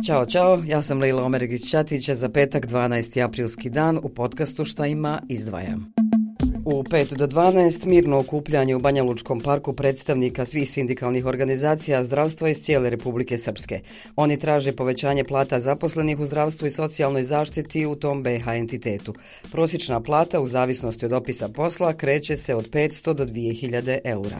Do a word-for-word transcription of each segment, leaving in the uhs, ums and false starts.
Ćao, čao, ja sam Lejla Omeregić-Ćatić, za petak dvanaesti aprilski dan u podcastu Šta ima izdvajam. U pet do dvanaest mirno okupljanje u Banja Lučkom parku predstavnika svih sindikalnih organizacija zdravstva iz cijele Republike Srpske. Oni traže povećanje plata zaposlenih u zdravstvu i socijalnoj zaštiti u tom B iH entitetu. Prosječna plata u zavisnosti od opisa posla kreće se od petsto do dvije hiljade eura.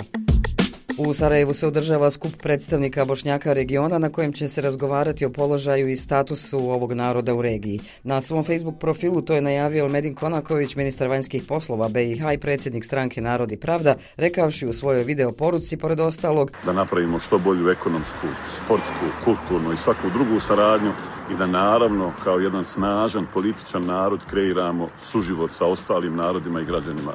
U Sarajevu se održava skup predstavnika Bošnjaka regiona na kojem će se razgovarati o položaju i statusu ovog naroda u regiji. Na svom Facebook profilu to je najavio Elmedin Konaković, ministar vanjskih poslova B iH i predsjednik stranke Narod i Pravda, rekavši u svojoj video poruci, pored ostalog, da napravimo što bolju ekonomsku, sportsku, kulturnu i svaku drugu saradnju i da naravno kao jedan snažan političan narod kreiramo suživot sa ostalim narodima i građanima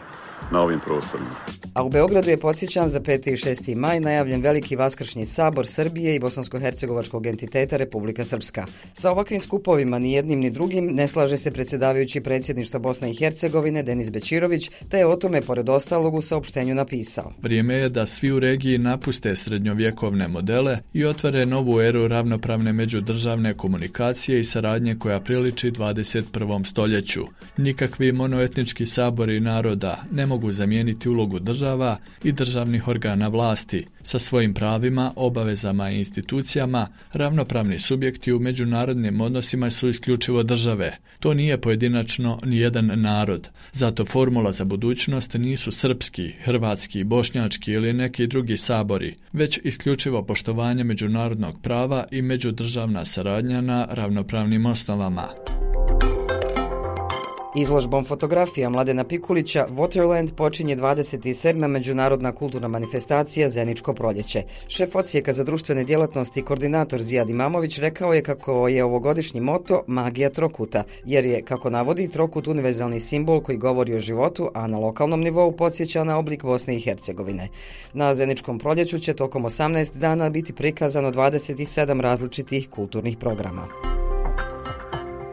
na ovim prostorima. A u Beogradu je, podsjećam, za peti i šesti maj najavljen veliki vaskršnji sabor Srbije i bosansko-hercegovačkog entiteta Republika Srpska. Sa ovakvim skupovima ni jednim ni drugim ne slaže se predsjedavajući predsjedništva Bosne i Hercegovine Denis Bećirović, te je o tome pored ostalog u saopštenju napisao: Vrijeme je da svi u regiji napuste srednjovjekovne modele i otvore novu eru ravnopravne međudržavne komunikacije i saradnje koja priliči dvadeset prvom stoljeću. Nikakvi monoetnički sabori naroda ne mogu zamijeniti ulogu država i državnih organa vlasti. Sa svojim pravima, obavezama i institucijama, ravnopravni subjekti u međunarodnim odnosima su isključivo države. To nije pojedinačno ni jedan narod. Zato formula za budućnost nisu srpski, hrvatski, bošnjački ili neki drugi sabori, već isključivo poštovanje međunarodnog prava i međudržavna saradnja na ravnopravnim osnovama. Izložbom fotografija Mladena Pikulića Waterland počinje dvadeset sedma međunarodna kulturna manifestacija Zeničko proljeće. Šef odsjeka za društvene djelatnosti i koordinator Zijad Imamović rekao je kako je ovogodišnji moto magija trokuta, jer je, kako navodi, trokut univerzalni simbol koji govori o životu, a na lokalnom nivou podsjeća na oblik Bosne i Hercegovine. Na Zeničkom proljeću će tokom osamnaest dana biti prikazano dvadeset sedam različitih kulturnih programa.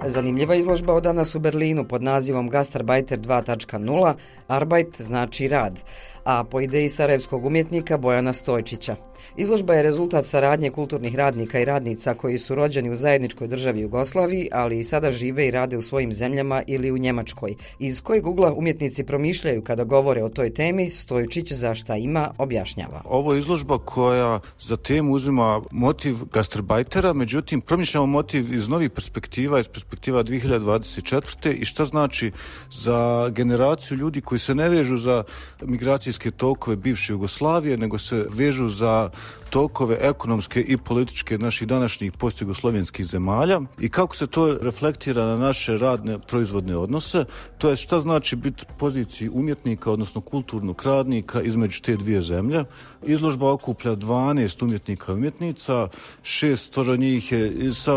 Zanimljiva izložba od danas u Berlinu pod nazivom Gastarbeiter dva točka nula, Arbeit znači rad, a po ideji sarajevskog umjetnika Bojana Stojčića. Izložba je rezultat saradnje kulturnih radnika i radnica koji su rođeni u zajedničkoj državi Jugoslaviji, ali i sada žive i rade u svojim zemljama ili u Njemačkoj. Iz kojeg ugla umjetnici promišljaju kada govore o toj temi, Stojčić za Šta ima objašnjava. Ovo je izložba koja za temu uzima motiv gastarbeitera, međutim promišljamo motiv iz novih perspektiva, iz perspektiva dvije hiljade dvadeset četvrte i šta znači za generaciju ljudi koji se ne vežu za migracijske tokove bivše Jugoslavije, nego se vežu za tokove ekonomske i političke naših današnjih postjugoslovenskih zemalja i kako se to reflektira na naše radne proizvodne odnose, to je šta znači biti u poziciji umjetnika, odnosno kulturnog radnika između te dvije zemlje. Izložba okuplja dvanaest umjetnika i umjetnica, šest njih je sa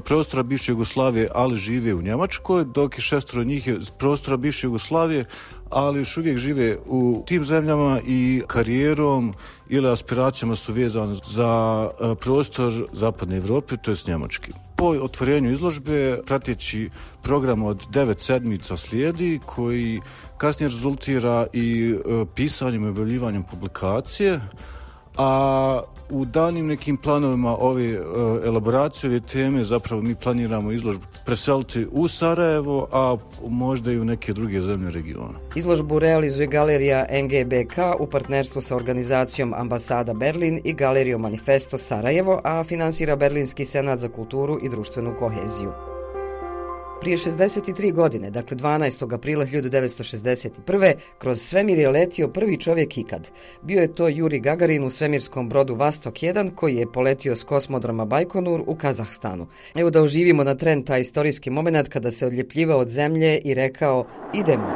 prostora bivše Jugoslavije, ali žive u Njemačkoj, dok je šestoro njih je s prostora bivše Jugoslavije, ali još uvijek žive u tim zemljama i karijerom ili aspiracijama su vezane za prostor zapadne Evrope, to je Njemački. Po otvorenju izložbe prateći program od devet sedmica slijedi koji kasnije rezultira i pisanjem i objavljivanjem publikacije, a u danim nekim planovima ove e, elaboracije ove teme zapravo mi planiramo izložbu preseliti u Sarajevo, a možda i u neke druge zemlje regiona. Izložbu realizuje galerija N G B K u partnerstvu sa organizacijom Ambasada Berlin i galerijom Manifesto Sarajevo, a finansira Berlinski senat za kulturu i društvenu koheziju. Prije šezdeset tri godine, dakle dvanaestog aprila hiljadu devetsto šezdeset prve. kroz svemir je letio prvi čovjek ikad. Bio je to Juri Gagarin u svemirskom brodu Vastok jedan koji je poletio s kosmodroma Bajkonur u Kazahstanu. Evo da oživimo na tren taj istorijski moment kada se odljepljivao od zemlje i rekao idemo.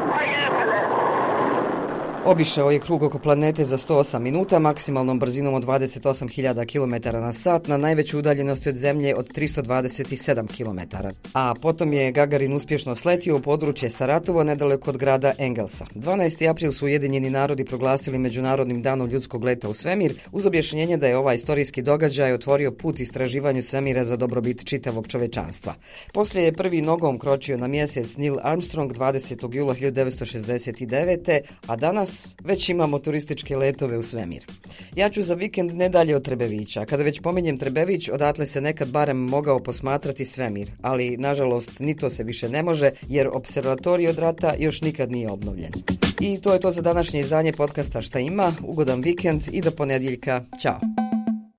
Obišao je krug oko planete za sto osam minuta, maksimalnom brzinom od dvadeset osam hiljada kilometara na sat, na najveću udaljenosti od Zemlje od tristo dvadeset sedam kilometara. A potom je Gagarin uspješno sletio u područje Saratovo, nedaleko od grada Engelsa. dvanaesti april su Ujedinjeni narodi proglasili Međunarodnim danom ljudskog leta u svemir, uz objašnjenje da je ovaj istorijski događaj otvorio put istraživanju svemira za dobrobit čitavog čovečanstva. Poslije je prvi nogom kročio na mjesec Neil Armstrong dvadesetog jula hiljadu devetsto šezdeset devete. a danas danas već imamo turističke letove u svemir. Ja ću za vikend ne dalje od Trebevića. Kada već pominjem Trebević, odatle se nekad barem mogao posmatrati svemir, ali nažalost ni to se više ne može jer observatorij od rata još nikad nije obnovljen. I to je to za današnje izdanje podcasta Šta ima. Ugodan vikend i do ponedjeljka. Ćao!